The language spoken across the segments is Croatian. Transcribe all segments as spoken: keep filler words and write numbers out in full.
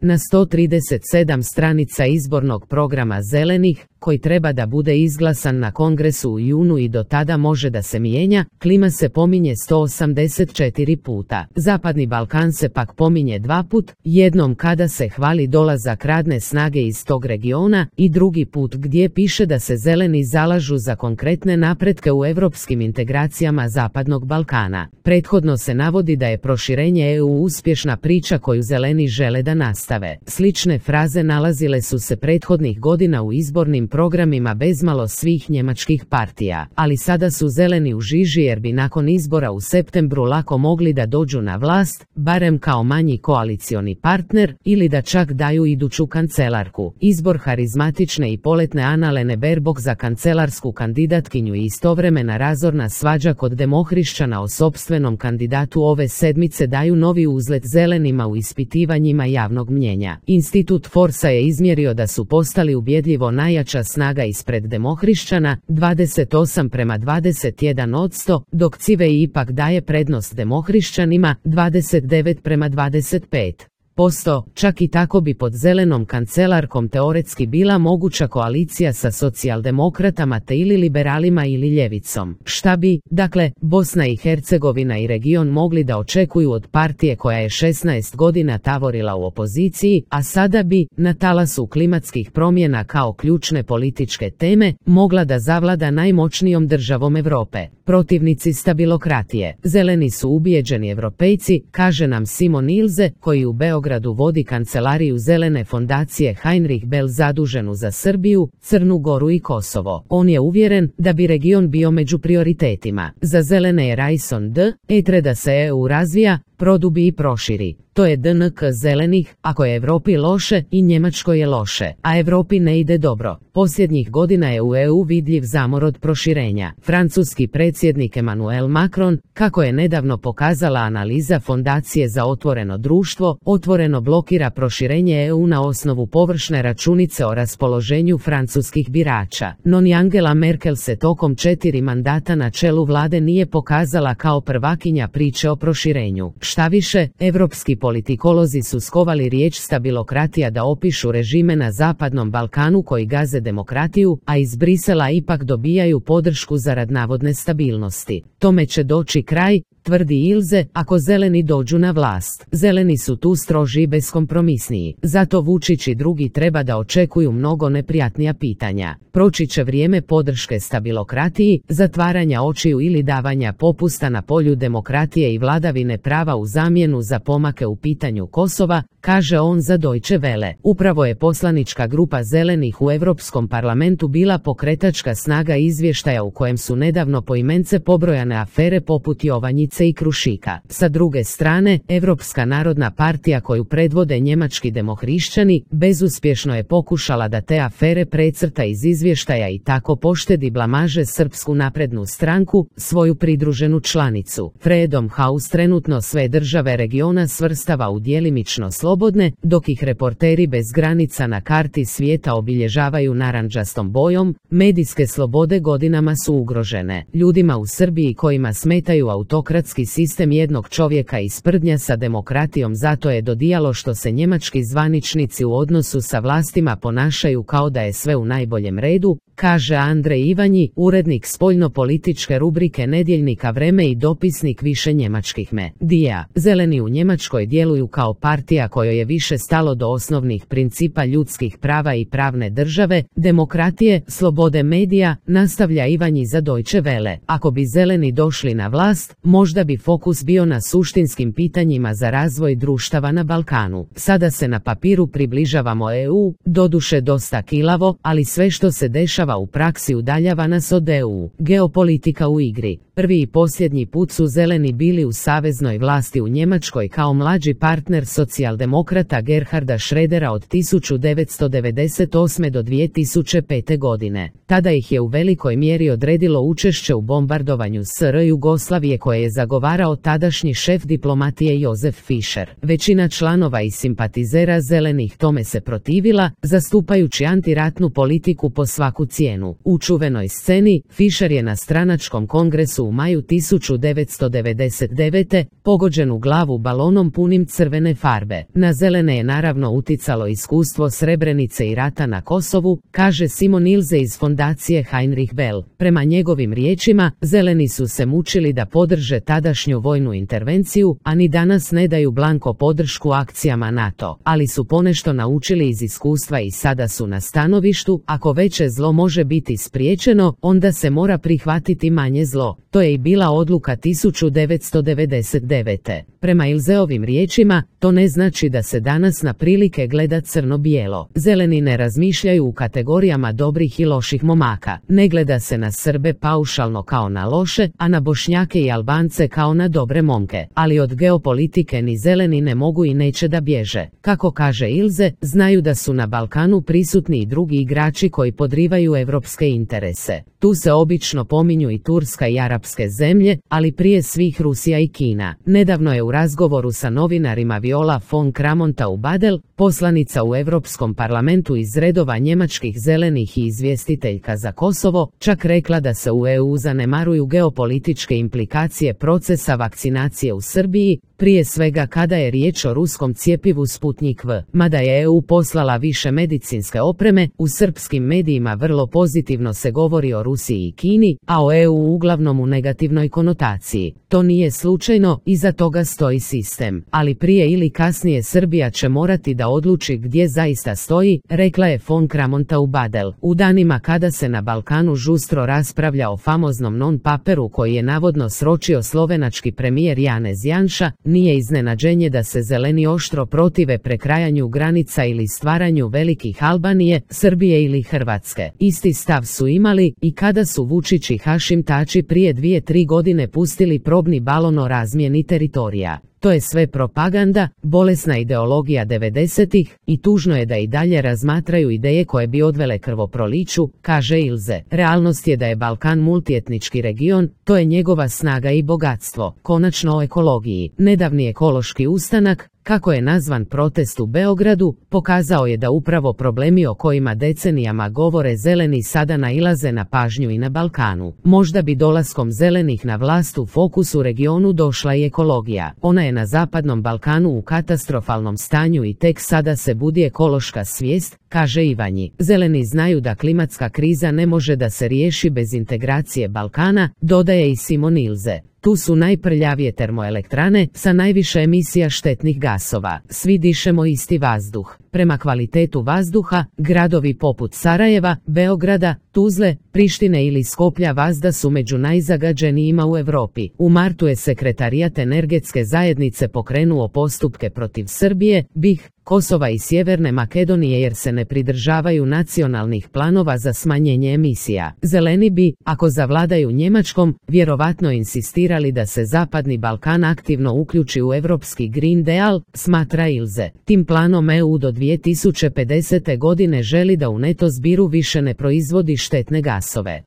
Na sto trideset sedam stranica izbornog programa Zelenih, koji treba da bude izglasan na kongresu u junu i do tada može da se mijenja, klima se pominje sto osamdeset četiri puta. Zapadni Balkan se pak pominje dva put, jednom kada se hvali dolazak radne snage iz tog regiona i drugi put gdje piše da se Zeleni zalažu za konkretne napretke u europskim integracijama Zapadnog Balkana. Prethodno se navodi da je proširenje E U uspješna priča koju Zeleni žele da nastave. Slične fraze nalazile su se prethodnih godina u izbornim programima bezmalo svih njemačkih partija, ali sada su Zeleni u žiži jer bi nakon izbora u septembru lako mogli da dođu na vlast, barem kao manji koalicioni partner, ili da čak daju iduću kancelarku. Izbor harizmatične i poletne Annalene Baerbock za kancelarsku kandidatkinju i istovremena razorna svađa kod demohrišćana o sopstvenom kandidatu ove sedmice daju novi uzlet Zelenima u ispitivanjima javnog mnjenja. Institut Forsa je izmjerio da su postali ubjedljivo najjača snaga ispred demohrišćana, dvadeset osam prema dvadeset jedan odsto, dok Civej ipak daje prednost demohrišćanima, dvadeset devet prema dvadeset pet posto, čak i tako bi pod Zelenom kancelarkom teoretski bila moguća koalicija sa socijaldemokratama te ili liberalima ili ljevicom. Šta bi, dakle, Bosna i Hercegovina i region mogli da očekuju od partije koja je šesnaest godina tavorila u opoziciji, a sada bi, na talasu klimatskih promjena kao ključne političke teme, mogla da zavlada najmoćnijom državom Europe. Protivnici stabilokratije. Zeleni su ubijeđeni Evropejci, kaže nam Simon Ilze, koji u Beogradu vodi kancelariju Zelene fondacije Heinrich Bell zaduženu za Srbiju, Crnu Goru i Kosovo. On je uvjeren da bi region bio među prioritetima. Za Zelene je raison d. etre da se E U razvija, produbi i proširi. To je D N K Zelenih, ako je Evropi loše i Njemačkoj je loše, a Evropi ne ide dobro. Posljednjih godina je u E U vidljiv zamor od proširenja. Francuski predsjednik Emmanuel Macron, kako je nedavno pokazala analiza Fondacije za otvoreno društvo, otvoreno blokira proširenje E U na osnovu površne računice o raspoloženju francuskih birača. No ni Angela Merkel se tokom četiri mandata na čelu vlade nije pokazala kao prvakinja priče o proširenju. Štaviše, evropski politikolozi su skovali riječ stabilokratija da opišu režime na Zapadnom Balkanu koji gaze demokratiju, a iz Brisela ipak dobijaju podršku zarad navodne stabilnosti. Tome će doći kraj, tvrdi Ilze, ako Zeleni dođu na vlast. Zeleni su tu stroži i beskompromisniji. Zato Vučić i drugi treba da očekuju mnogo neprijatnija pitanja. Proći će vrijeme podrške stabilokratiji, zatvaranja očiju ili davanja popusta na polju demokratije i vladavine prava u zamjenu za pomake u pitanju Kosova, kaže on za Deutsche Welle. Upravo je poslanička grupa Zelenih u Europskom parlamentu bila pokretačka snaga izvještaja u kojem su nedavno poimence pobrojane afere poput Jovanjice i Krušika. Sa druge strane, Evropska narodna partija koju predvode njemački demohrišćani, bezuspješno je pokušala da te afere precrta iz izvještaja i tako poštedi blamaže Srpsku naprednu stranku, svoju pridruženu članicu. Freedom House trenutno sve države regiona svrstava u djelimično slobodne, dok ih reporteri bez granica na karti svijeta obilježavaju narandžastom bojom. Medijske slobode godinama su ugrožene. Ljudima u Srbiji kojima smetaju autokratski sistem jednog čovjeka i sprdnja sa demokratijom zato je dodijalo što se njemački zvaničnici u odnosu sa vlastima ponašaju kao da je sve u najboljem redu, kaže Andrej Ivanji, urednik spoljno-političke rubrike nedjeljnika Vreme i dopisnik više njemačkih medija. Zeleni u Njemačkoj djeluju kao partija kojoj je više stalo do osnovnih principa ljudskih prava i pravne države, demokratije, slobode medija, nastavlja Ivanji za Deutsche Welle. Ako bi Zeleni došli na vlast, možda bi fokus bio na suštinskim pitanjima za razvoj društava na Balkanu. Sada se na papiru približavamo E U, doduše dosta kilavo, ali sve što se dešava u praksi udaljava nas od E U. Geopolitika u igri. Prvi i posljednji put su Zeleni bili u saveznoj vlasti u Njemačkoj kao mlađi partner socijaldemokrata Gerharda Schrödera od tisuću devetsto devedeset osme do dvije tisuće pete godine. Tada ih je u velikoj mjeri odredilo učešće u bombardovanju S R Jugoslavije koje je zagovarao tadašnji šef diplomatije Josef Fischer. Većina članova i simpatizera Zelenih tome se protivila, zastupajući antiratnu politiku po svaku cijenu. cijenu. U čuvenoj sceni, Fischer je na stranačkom kongresu u maju tisuću devetsto devedeset devete pogođen u glavu balonom punim crvene farbe. Na zelene je naravno uticalo iskustvo Srebrenice i rata na Kosovu, kaže Simon Ilze iz fondacije Heinrich Bell. Prema njegovim riječima, zeleni su se mučili da podrže tadašnju vojnu intervenciju, a ni danas ne daju blanko podršku akcijama NATO, ali su ponešto naučili iz iskustva i sada su na stanovištu, ako veće zlo može biti spriječeno, onda se mora prihvatiti manje zlo. To je i bila odluka tisuću devetsto devedeset devete. Prema Ilzeovim riječima, to ne znači da se danas na prilike gleda crno-bijelo. Zeleni ne razmišljaju u kategorijama dobrih i loših momaka. Ne gleda se na Srbe paušalno kao na loše, a na Bošnjake i Albance kao na dobre momke. Ali od geopolitike ni zeleni ne mogu i neće da bježe. Kako kaže Ilze, znaju da su na Balkanu prisutni i drugi igrači koji podrivaju evropske interese. Tu se obično pominju i Turska i arapske zemlje, ali prije svih Rusija i Kina. Nedavno je u razgovoru sa novinarima Viola von Kramon-Taubadel, poslanica u Europskom parlamentu iz redova njemačkih zelenih i izvjestiteljka za Kosovo, čak rekla da se u E U zanemaruju geopolitičke implikacije procesa vakcinacije u Srbiji, prije svega kada je riječ o ruskom cjepivu Sputnik V. Mada je E U poslala više medicinske opreme, u srpskim medijima vrlo pozitivno se govori o Rusiji i Kini, a o E U uglavnom u negativnoj konotaciji. To nije slučajno, iza toga stoji sistem. Ali prije ili kasnije Srbija će morati da odluči gdje zaista stoji, rekla je von Kramon-Taubadel. U danima kada se na Balkanu žustro raspravlja o famoznom non-paperu koji je navodno sročio slovenački premijer Janez Janša, nije iznenađenje da se zeleni oštro protive prekrajanju granica ili stvaranju velikih Albanije, Srbije ili Hrvatske. Isti stav su imali i kada su Vučić i Hašim Tači prije dvije tri godine pustili probni balon o razmjeni teritorija. To je sve propaganda, bolesna ideologija devedesetih i tužno je da i dalje razmatraju ideje koje bi odvele krvoproliću, kaže Ilze. Realnost je da je Balkan multietnički region, to je njegova snaga i bogatstvo. Konačno o ekologiji. Nedavni ekološki ustanak, kako je nazvan protest u Beogradu, pokazao je da upravo problemi o kojima decenijama govore zeleni sada nailaze na pažnju i na Balkanu. Možda bi dolaskom zelenih na vlast u fokusu regionu došla i ekologija. Ona je na zapadnom Balkanu u katastrofalnom stanju i tek sada se budi ekološka svijest, kaže Ivanji. Zeleni znaju da klimatska kriza ne može da se riješi bez integracije Balkana, dodaje i Simon Ilze. Tu su najprljavije termoelektrane sa najviše emisija štetnih gasova. Svi dišemo isti vazduh. Prema kvalitetu vazduha, gradovi poput Sarajeva, Beograda, Tuzle, Prištine ili Skoplja vazda su među najzagađenijima u Europi. U martu je Sekretarijat energetske zajednice pokrenuo postupke protiv Srbije, B i H, Kosova i Sjeverne Makedonije jer se ne pridržavaju nacionalnih planova za smanjenje emisija. Zeleni bi, ako zavladaju Njemačkom, vjerovatno insistirali da se Zapadni Balkan aktivno uključi u Europski Green Deal, smatra Ilze. Tim planom E U do dvije tisuće pedesete godine želi da u neto zbiru više ne proizvodi štetne gasove.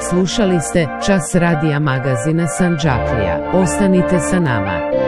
Slušali ste Čas radija magazina Sandžaklija. Ostanite sa nama.